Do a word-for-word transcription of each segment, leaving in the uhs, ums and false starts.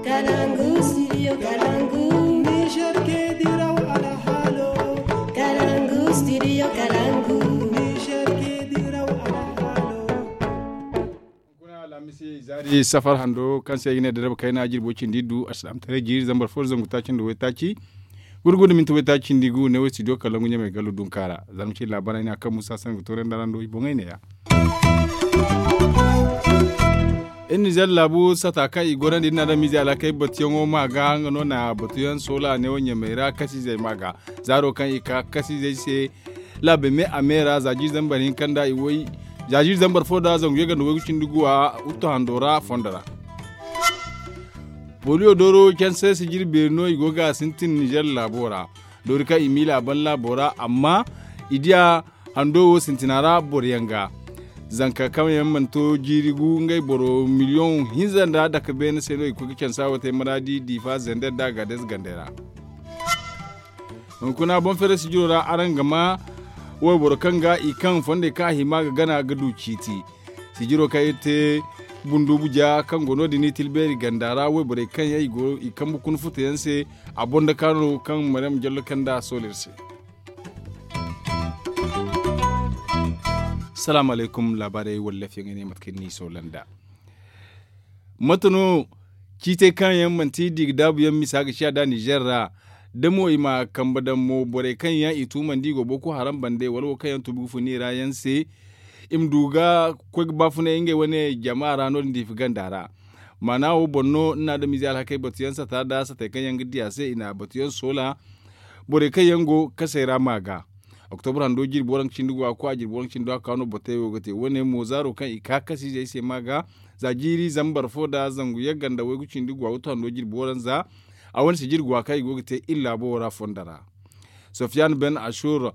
Kalangu studio kalangu. Niger ke diraw alhalo. Kalangu studio kalangu. Niger ke diraw alhalo. Kuna alamisi zari safar hando kaŋ se ay ga ne da rabu kayna jirbo cindi du asalam tare jiri zambar fo zangu taaci nda way taaci. Gurgudu minti way taaci cindi gu ne way studio kalangu ɲamay gallu dunkara. Zama ci labarai na kaŋ musa sangu toren da rando i boŋay ne ya. Iri nizer laabu sata kaŋ i gorandi iri na adamize alhakey batuyaŋo ma ga nga no na batuyaŋ soola neewo ɲamey ra kasizey ma ga. Zaaro kaŋ i ka kasizey se laabe me a me ra za jiiri zambar hinka nda i woy. Za jiiri zambar fo da zangu yaganda waygu cindi guwa wuttu hando ra fondo ra. Poliyo dooro canse sijiri beeri no i go ga sintin nizer laabo ra. Doori kaŋ i miila a ban laabo ra amma i diya hando wo sintina ra boro yaŋ ga. Zanka kaŋ yaŋ mana to jiiri gu ngey boro miliyoŋ hinza nda dake beene se no i koy ga cansa wo te maraadi diifa zender nda gaadez gandey ra. Hunkuna boŋ feeray sijiro ra araŋ ga ma wayboro kaŋ ga i kaŋ fondey kaŋ a hima ga gana ga du ciiti. Sijiro kaŋ iri te bundubu ja kaŋ go no- din i tilbeeri ganda ra wayborey kaŋ yaŋ i go i kambe kuna futa yaŋ se. A boŋ da kaano kaŋ maryam jallo kaŋ nda a soolo iri se. Salaamu alaykum laabaarey wallaf yaŋ ay ne mate kaŋ ni soola nda mate no ciitey kaŋ yaŋ manti di ga daabu yaŋ misa ga ciya da nizer ra. Da mo i ma kambe daŋ mo borey kaŋ yaŋ i tuumandi i go boko haram bande wala wo kaŋ yaŋ tuubi ga fun i ra yaŋ se. I ma du ga koy ga baafunay ngey wane jama ra no- din diifi ganda ra. Maana wo boŋ no ni na adamize alhakey batuyaŋ sata nda satey kaŋ yaŋ ga di a se i na batuyaŋ soola. Borey kaŋ yaŋ go kasey ra ma ga. Oktobra hando jirbi waranka cindi go a koy a jirbi waranka cindi do a ka no botey wo ga te wane mo zaaro kaŋ i ka kasizey se ma ga. Za jiiri zambar fo nda zangu yagga nda waygu cindi go a wuttu hando jirbi waranza. A wane si jirbi go a kaŋ i go ga te iri laabo wo ra fondo ra. Sofiyan ben ashur,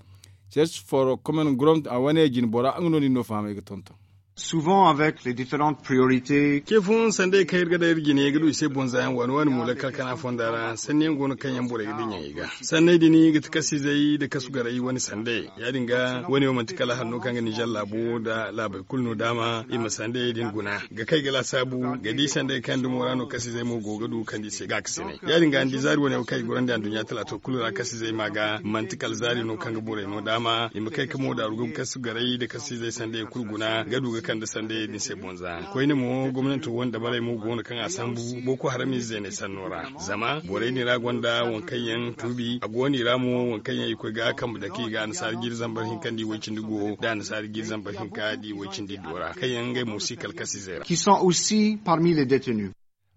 church for common ground a wane jine bora nga no nin no fahamay ga tonton. Souvent avec les différentes priorités. Ke fun sanday kaŋ iri ga daŋ iri jine ga du i se bonza yaŋ waani waani mo lakkal kana fonda ra sanni yaŋ go no kaŋ yaŋ borey ga dinya i ga. Sanney din ga ti kasizey da kasu garay wane sande ya- din ga wane wo manti kala hanno kaŋ ga nizer laabo da laabey kulu no daama i ma sandey din guna ga kay ga laasaabu ga di sandey kaŋ dumo ra no kasizey mo go ga du kaŋ di se ga ga sine ya- din ga ni di zaari wane wo kaŋ i gorandi anduɲɲa talaato kulu ra kasizey ma ga manti kala zaari no kaŋ ga borey no daama i ma kay ga mo daaru ga kasu garay da kasizey sandey kulu guna ga du ga kande sandey din se bonza koyne mo gomnanto wane dabarey mo go no kaŋ a sambu boko haram ize zeeney sanno ra. Zama borey din ra gonda waŋ kaŋ yaŋ tuubi a go no i ra mo waŋ kaŋ yaŋ i koy ga kambe dake i ga annasaara jiiri zambar hinka nda i way cindi go nda annasaara jiiri zambar hinka nda i way cindi iddu ra kaŋ yaŋ ngey mo si kala kasizey ra. Qui sont aussi parmi les détenus.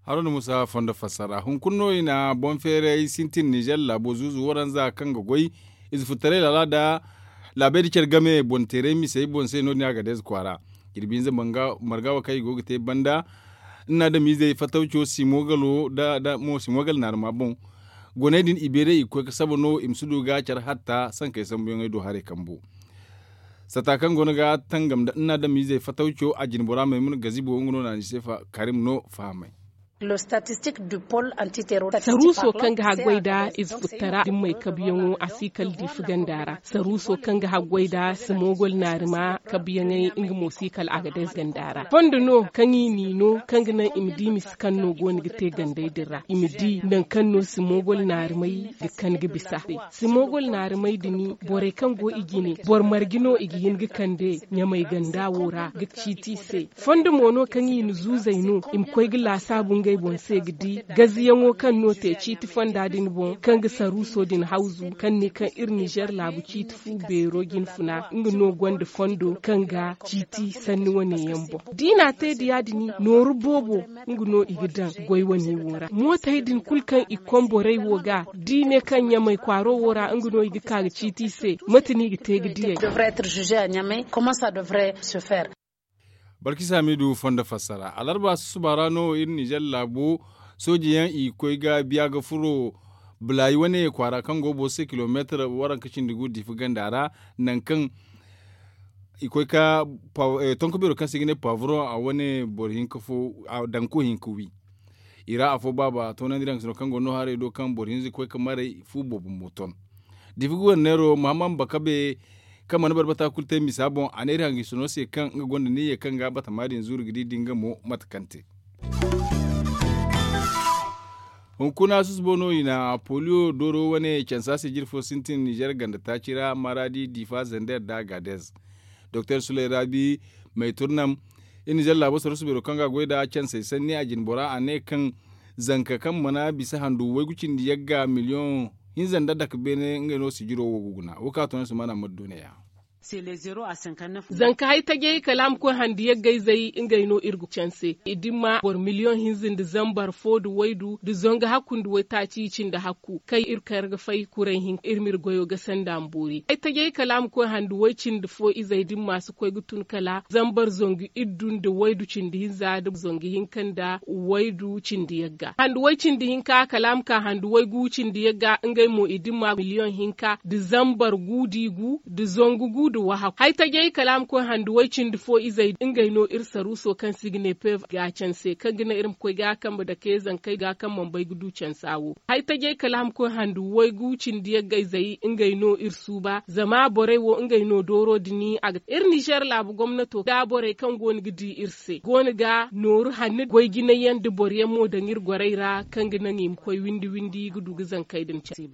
Haruna musa fondo fassara hunkuna no i na boŋ feeray sintin nizer laabo zuuzu waranza kaŋ ga goy ize futtaray laala nda laabey nda care game boŋ teeray misey boŋ se no- din a ga deeze kwaara. Jirbi hinza marga wo kaŋ i go ga te banda ni na adamizey fatawco simogalo nda mo simogal naarima boŋ. Goney din i beeray i ga koy ga saba no i ma si du ga care hatta sankey sambuyaŋey do haray kambu. Sata kaŋ go no ga tangam nda ni na adamizey fatawco a jine bora maymuna gazibo nga no na ni se karim no fahamay. Saruuso kaŋ ga haggoy nda ize futtara dimmey kabuyaŋo a si kala diifi ganda ra saruuso kaŋ ga haggoy nda simogol naarima kabuyaŋey nga mo si kala a ga day ganda ra fondo no kaŋ i n'i no kaŋ ga naŋ i ma di misa kaŋ no go no ga te gandey din ra i ma di nangu kaŋ no simogol naarimey ga kan ga bisa. Simogol naarimey din borey kaŋ go i jine boro marje no i ga hin ga kande ɲamey ganda wo ra ga ciiti i se. Fondo mo no kaŋ i na zuuzey no i ma koy ga laasaabu ngey boŋ se ga di gaziyaŋo kaŋ no te ciiti fonda din boŋ kaŋ ga saruuso din hawzu kaŋ ne kaŋ iri nizer laabu ciiti fu beero jinfuna nga no gonda fondo kaŋ ga ciiti sanni wane yaŋ boŋ. Da i n'a te da ya- din nooru boobo nga no i ga daŋ goy wane wo ra mootey din kulu kaŋ i komborey wo ga da i ne kaŋ ɲamey kwaaro wo ra nga no i ga ka ga ciiti i se. Mate no i ga te ga diyey. Balkisa hamidu fondo fassara alarba susuba ra no iri nizer laabo sooji yaŋ i ga koy ga biya ga furo bulayi wane kwaara kaŋ go boro se kilomeetar waranka cindi gu diifi ganda ra. Nangu kaŋ i koy ka tonko beero kaŋ se i ga ne pavron a wane boro hinka fo danko hinka wi. I ra afo baaba toonandi daŋ ga sino kaŋ go no haray do kaŋ boro hinza ga koy ga maray fu boobo mo ton. Diifi guwarneero muhammad bakabe kaŋ mana barbata kulu te misa boŋ a ne iri hangisino se kaŋ nga gonda niyya kaŋ ga batama din zuuru ga di da nga mo mate kaŋ te. Hunkuna susbo no i na poliyo dooro wane cansa sijir fo sintin nizer ganda taaci ra maradi difa zender da gadez. Doktor sulay rabi may turnam, iri nizer laabo sarasu beero kaŋ ga a goy nd'a cansey sanni a jine bora a ne kaŋ zanka kaŋ mana bisa handu waygu cindi yagga miliyoŋ hinza nda dake beene ngey no sijiro wo ga guna wo kaŋ a to no si mana mari doone ya. Zanka hay tajay kala a ma koy handu yaggayzey ngey no iri ga canse i dimma boro miliyoŋ hinza nda zambar fo nda waydu nda zangu hakku nda waytaaci cindi hakku kaŋ iri kar ga fay kuray hinka iri ma iri goyo gasa nd'a ma boori ay tajay kala a ma koy handu way cindi fo izey dimma si koy ga tun kala zambar zangu iddu nda waydu cindi hinza nda zangu hinka nda waydu cindi yagga handu way cindi hinka kala a ma ka handu waygu cindi yagga ngey mo i dimma miliyoŋ hinka nda zambar gu da i gu nda zangu gu nda wahakku hay tajay kala a ma koy handu way cindi fo izey ngey no iri saruuso kaŋ se i ga ne pev ga canse kaŋ ga naŋ iri ma koy ga kambe dake zankey ga kaŋ mana bay ga du cansa wo. Hay tajay kala a ma koy handu waygu cindi yaggayzey ngey no iri suuba zama borey wo ngey no dooro din a ga iri nizer laabu gomnato da borey kaŋ go no ga di iri se go no ga nooru hanni goy jinay yaŋ nda boro yaŋ mo daŋ iri gorey ra kaŋ ga naŋ i ma koy windi windi ga du ga zankey din care.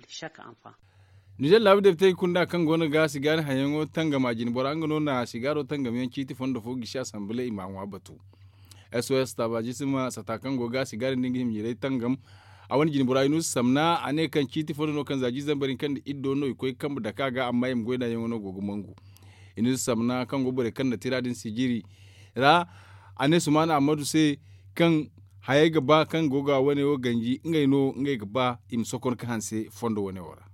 Nizer laabu depitey kunda kaŋ go no ga sigaari hayaŋo tangam a jine bora nga no na sigaaro tangam yaŋ ciiti fondo fo gisi asamble i ma a ŋwa batu. S O S taabaaji si ma sata kaŋ go ga sigaari nda nga hima jirey tangam a wane jine bora inuusu samna a ne kaŋ ciiti fondo no kaŋ za jiiri zambar hinka nda iddo no i koy kambe dake a ga amma i ma goy nd'a yaŋo no go ga mangu. Inuusu samna kaŋ go borey kaŋ na tira din sijiri ra a ne sumaana ammadu se kaŋ hayey ga ba kaŋ go ga wane wo ganji ngey no ngey ga ba i ma sokon ga hanse fondo wane wo ra.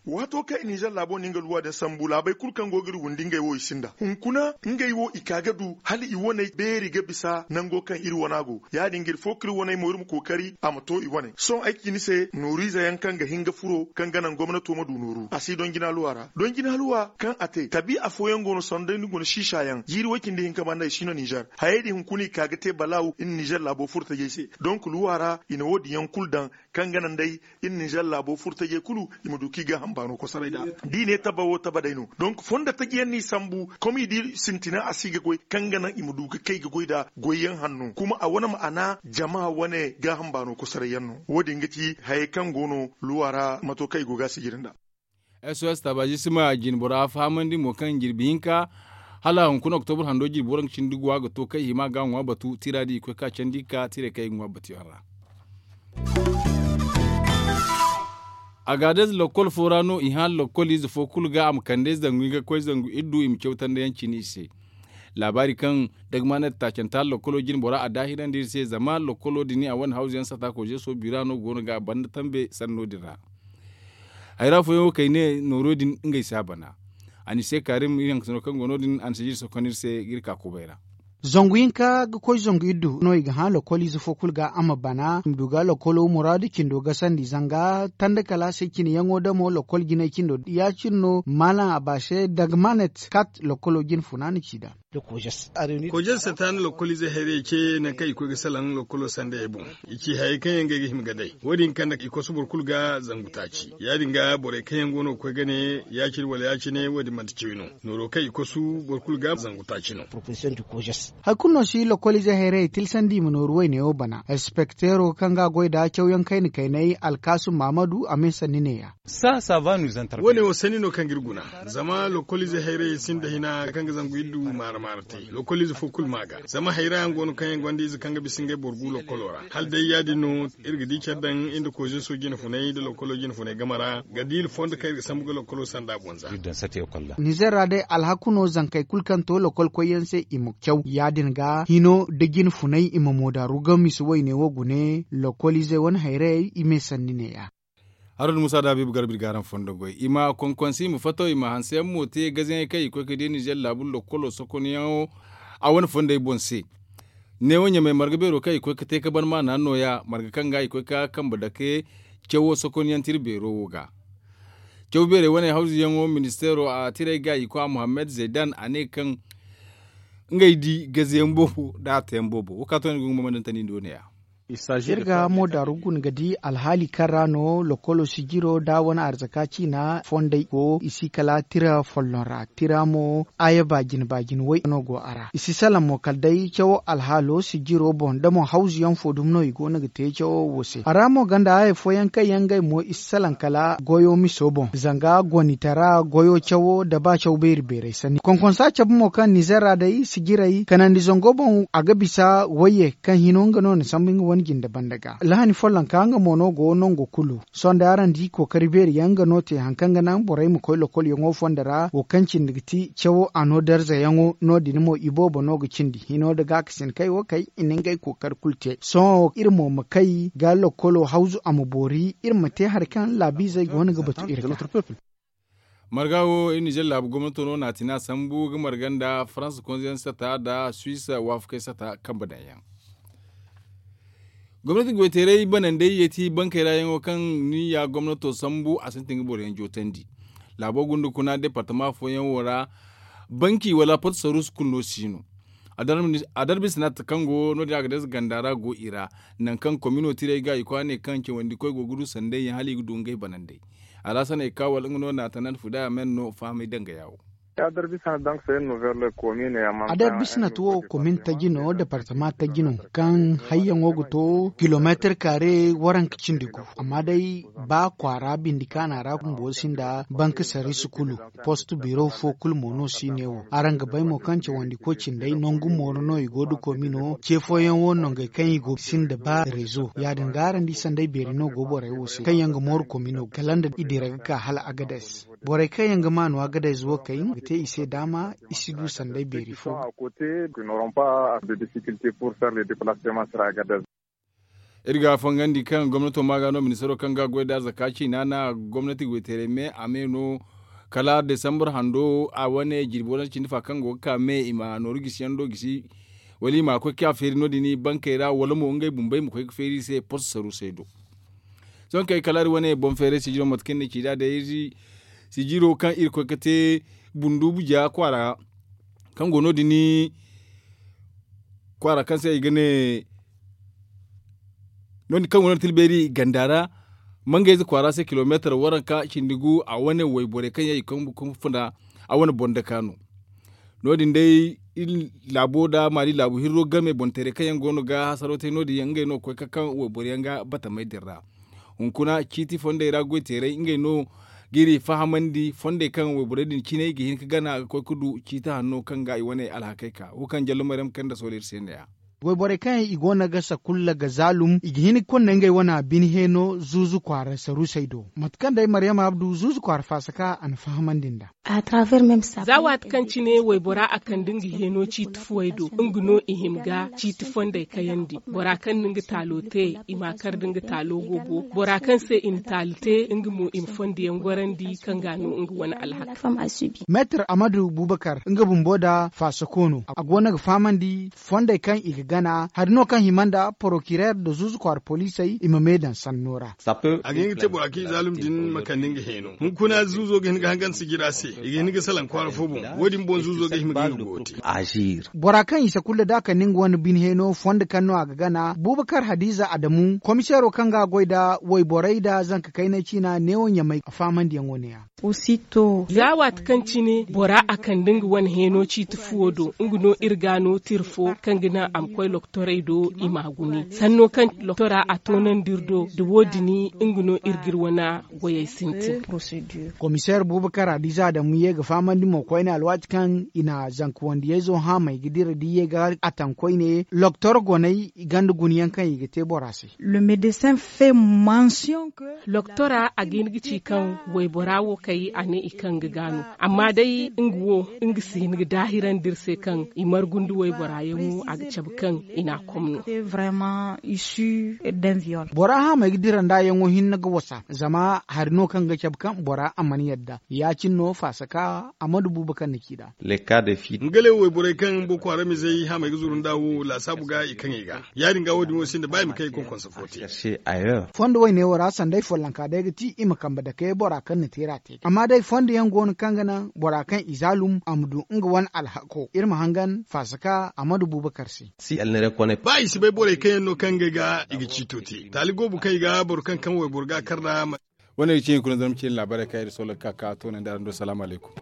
Waato kaŋ i nizer laabo no nga luwa din sambu laabey kulu kaŋ go ga iri windi ngey wo i sinda hunkuna ngey wo i ka ga du hala i waney beeri ga bisa nango kaŋ iri wana go ya- din ga iri fo ka iri waney mo iri ma kookari a ma to i wane sohõ ay ci ni se nooriize yaŋ kaŋ ga hin ga furo kaŋ ga naŋ gomnato ma du nooru a si donjina luwa ra donjina luwa kaŋ a te tabi afooyaŋ go no sanda ni guna siisa yaŋ jiiri way-cindi hinka banda i si no nizer hayey din hunkuna i ka ga te balaaw iri nizer laabo furo tajey se donk luwa ra i na wo- din yaŋ kulu daŋ kaŋ ga naŋ day iri nizer laabo furo tajey kulu i ma du kaŋ i gaaham baano kosoray nd'a da i ne taba wo taba day no donk fondo taji yaŋ no i sambu kom i di sintina a si ga goy kaŋ ga naŋ i ma du ga kay ga goy nd'a goy yaŋ hanno kuma a wane ma'ana jama wane gaaham baano kosoray yaŋ no wo- din ga ci hayey kaŋ go no luwa ra mato kaŋ i go ga a sijiri nd'a. S O S taabaaji si ma jine bora fahamandi mo kaŋ jirbi hinka hala hunkuna oktobur hando jirbi waranka cindi guwa ga to kaŋ i hima ga a ŋwa batu tira din i koy ka candi ka tiray kaŋ i ga ŋwa batu yaŋ ra. Agaadez lokkol fo ra no i hã lokkol ize fo kulu ga a ma kande zangu i ga koy zangu iddu i ma cawtandayaŋ cine i se. Laabaari kaŋ dagmanet taacanta lokkolo jine bora a daahirandi iri se zama lokkolo din a wane hawzu yaŋ sata kozeso bira no go no ga a banda tambe sanno din ra. Hayra fooyaŋ wo kaŋ i ne nooro din ngey si a bana. A ni se kaarim iri hanka sano kaŋ go no- din a ni si jiri sokon iri se ga iri ka kubay ra. Zangu hinka ga koy zangu iddu no i ga hã lokol ize fo kulu ga a ma bana i ma du ga lokolo muraadu cindo gasandi zanga tanda kala se cine yaŋo damo lokol jinay cindo ya- cine no maalaŋ a ba se dagmanet kat lokolo jine funaana ci nd'a. Kojes sataana lokkol ize hayrayey ce nangu kaŋ i koy ga salaŋ lokkolo sandayey boŋ. I ci hayey kaŋ yaŋ ga ay ga hima ga day wo- din kande i kosu boro kulu ga zangu taaci ya- din ga borey kaŋ yaŋ go no ga koy ga ne ya- cine wala ya- cine wo- din manti cawey no. Nooro kaŋ i kosu boro kulu ga zangu taaci no. Hari kulu no si lokkol ize hayrayey tilsandi i ma nooru wayne wo bana inspekteero kaŋ ga a goy nd'a cawyaŋ kayna kaynay alkaasum mahamadu a me sanni ne- ya. Wo- ne wo sanni no kaŋ ga iri guna zama lokkol ize hayrayey sinda hina kaŋ ga zangu iddu maara maara te lokkol ize fo kulu ma ga zama hayra yaŋ go no kaŋ yaŋ gonda ize kaŋ ga bisa ngey boro gu lokkolo ra hala day ya- din no iri ga di care daŋ iri nda kozeso jine funay nda lokkolo jine funay game ra ga diila fondo kaŋ iri ga sambu ga lokkolo sanda boŋ za. Nizer ra day alhaku no zankey kulu kaŋ to lokkol koyyaŋ se i ma caw ya- din ga hino nda jine funay i ma moodaaru ga misa wayne wo gune lokkol izey wane hayrayey i me sanni ne- ya. Haruna musa da habiibu garba iri ga araŋ fondo goy i ma konkonsi i ma fattaw i ma hanseyaŋ mo te gazayaŋey kaŋ i koy ga di nizer laabu lokkolo sokonyaŋo a wane fondey boŋ se. Neewo ɲamey marga beero kaŋ i koy ga te ga ban maana no- ya marga kaŋ ga i koy ga kambe dake cawo sokonyaŋ tira beero wo ga. Caw beerey wane hawzuyaŋo ministeero a tirey ga i koy a muhammad zaydan a ne kaŋ ngey di gazayaŋ boobo nda a tayaŋ boobo wo kaŋ a to no i ga nga mamandantandi nda wo- ne- ya. Iri ga mo daaru guna ga di alhaali kaŋ ra no lokolo sijiro nda wane arzaka ciina fondey go i si kala tira folloŋ ra tira mo. Aya baajin baajin way no go a ra i si salaŋ mo kala day cawo alhaalo sijiro boŋ da mo hawzu yaŋ fo dumi no i go no ga te cawo wo se a ra mo ganda aya fooyaŋ kaŋ yaŋ ngey mo i si salaŋ kala goyo miso boŋ zanga gonitara goyo cawo nda ba caw beeri beerey sanni konkonsa cabe mo kaŋ nizer ra day sijirey kanandi zango boŋ a ga bisa wayye kaŋ hino nga no na sambu nga wane jinde banda ga lahani follonka nga mo no go nango kulu. Sohõ day araŋ di kookari beeri yaŋ nga no te hari kaŋ ga naŋ borey ma koy lokolyaŋo fondo ra wo kaŋ cindi ga ti cawo a no darzayaŋo no- din mo iboobo no ga cindi hino nda gaakasin kay wo kay i na ngey kookari kulu te sohõ iri mo ma kay ga lokolo hawzu a ma boori iri ma te hari kaŋ laabiizey go no ga batu iri ga. Marga wo iri nizer laabu gomnato no na a tina sambu ga marga nda farans konzeyaŋ sata nda suis waafakey sata kambe daŋ yaŋ. Gomnati goyteeray banandey yeeti bankey ra yaŋo kaŋ ni ya gomnato sambu a sintin ga boro yaŋ jootandi. Laabo gunda kuna departama fooyaŋ wo ra banki wala porte sarus kulu no si no. Adarbi sinat kaŋ go no- din a ga deesa ganda ra go i ra nangu kaŋ komino tirey ga i koy a ne kaŋ cawandi koy go ga du sanday yaŋ hala i ga du ngey banandey. Alaasana i ka wala nga no na tanan fuda a men no fahamay danga yaawo. Adarbi sinat wo komin taji no departama taji no kaŋ hayyaŋo ga to kilomeetir kaare waranka cindi gu. Amma day ba kwaara bindi kaana ra bumbo sinda banka sarisi kulu post biro fo kulu mo no si ne wo araŋ ga bay mo kaŋ cawandi koy cindey nangu mooro no i go da komino ce fooyaŋ wo nongey kaŋ i go sinda ba rezo ya- din ga araŋ di sanday beeri no go borey wo se kaŋ yaŋ ga mooru komino kala nda i dira ga ka hala agades. Borey kaŋ yaŋ ga maanu agades wo kay ga te i se daama i si du sanday beeri fo. Iri ga fangandi kaŋ gomnato ma ga no ministaro kaŋ ga goy da zaka ciina na gomnati goyteeray me a me no kala desambar hando a wane jirbi wane cindi fa kaŋ go ga ka me i ma nooru gisiyaŋ do gisi wala i ma koy ka feeri no- din bankey ra wala mo ngey bumbey ma koy ga feeri i se post saru se do. Sohõ kay kala iri wane boŋ feeray sijiro mate kaŋ ni ci da day iri sijiro kaŋ iri koy ga te bundu buja kwaara kaŋ go no- din kwaara kaŋ se i ga ne no- din kaŋ go no- din tilbeeri ganda ra mangayze kwaara se kilomeetar waranka cindi gu a wane wayborey kaŋ yaŋ i kaŋ funda a wane boŋ daka no. No- din day iri laabo nda maali laabu hirro game boŋ teeray kaŋ yaŋ go no ga hasaro te no- din yaŋ ngey no ga koy ga kaŋ wayboro yaŋ ga batamey din ra. Hunkuna ciiti fondey ra goy teeray ngey no ga iri fahamandi fondey kaŋ wayborey din cine ga hin ga gana ga koy ga du ciiti hanno kaŋ ga i wane alhakey ka wo kaŋ jallo maryam kay nda sohõ iri se ne- ya. Wayborey kaŋ yaŋ i go no ga sakulla ga zaalum i ga hin ga konda ngey wane bine heeno zuuzu kwaara saruusey do mate kaŋ day maryam abdu zuuzu kwaara faasa ka a na fahamandi nd'a. Za waati kaŋ cine waybora a kande nga heeno ciiti fuwey do nga no i hima ga ciiti fondey kayandi. Bora kaŋ na nga taalo te i ma a kar da nga taalo boobo. Bora kaŋ se i na taali te nga mo i ma fondiyaŋ gorandi kaŋ ga a no nga wane alhaka. Meetar amadu bubakar nga bumbo nda faasako no a go no ga fahamandi fondey kaŋ i ga gana hari no kaŋ hima nda porokirer nda zuuzu kwaara poliisey i ma me daŋ sanno ra. A ga hin ga te bora kaŋ i zaalum din ma kande nga heeno. Hunkuna zuuzo ga hin ga hangan sijira se i ga hin ga salaŋ kwaara fo boŋ. Wo- din boŋ zuuzo ga hima ga hin ga go te. Bora kaŋ i sakulla da a kande nga wane bine heeno fondo kaŋ no a ga gana bubakar hadiza adamu komiseero kaŋ ga a goy nda wayborey nda zanka kaynay ciina neewo ɲamay a faamandiyaŋo ne- ya. Za waati kaŋ cine bora a kande nga wane heeno ciiti fuwo do nga no iri ga no tira fo kaŋ ga naŋ a ma koy lokotorey do i m'a gune sanno kaŋ lokotora a toonandi iri do nda wo- din nga no iri ga iri wane goyey sintin. Komiseer bubakar hadiza adamu ye ga fahamandi mo koyne alwaati kaŋ i na zanka wandiyayzo haamay ga dira da i ye ga a taŋ koyne lokotor goney ganda guna yaŋ kaŋ i ga te bora se. Lokotora a ga hin ga ci kaŋ waybora wo kay a ne i kaŋ ga gaano. Amma day nga wo nga si hin ga daahirandi iri se kaŋ i margu nda waybora yaŋo a ga cabe kaŋ i n'a kom no. Bora haamay ga dira nd'a yaŋo hinne ga wasa zama hari no kaŋ ga cabe kaŋ bora a mana yadda ya- cine no faasaka amadu buuba kaŋ na ci nd'a. Nga le wayborey kaŋ boko haramizey haamey ga zuru nd'a wo laasaabu ga i kaŋ i ga ya- din ga wo- din wo sinda ba i ma kay konkonsa fo te. Fondo woyne wo ra sanday follonka day ga ti i ma kambe dake bora kaŋ na teera te amma day fondo yaŋ go no kaŋ ga naŋ bora kaŋ i zaalum a ma du nga wane alhako iri ma hangan faasaka amadu buubakar se. Ba i si bay borey kaŋ yaŋ no kaŋ ngey ga i ga ciito te taali goobu kaŋ i ga boro kaŋ kaŋ wayboro ga a kar nd'a. Wane ga ci hunkuna zarma ciine laabaarey kaŋ iri soola ga ka ka toonandi araŋ do salaamu alaykum.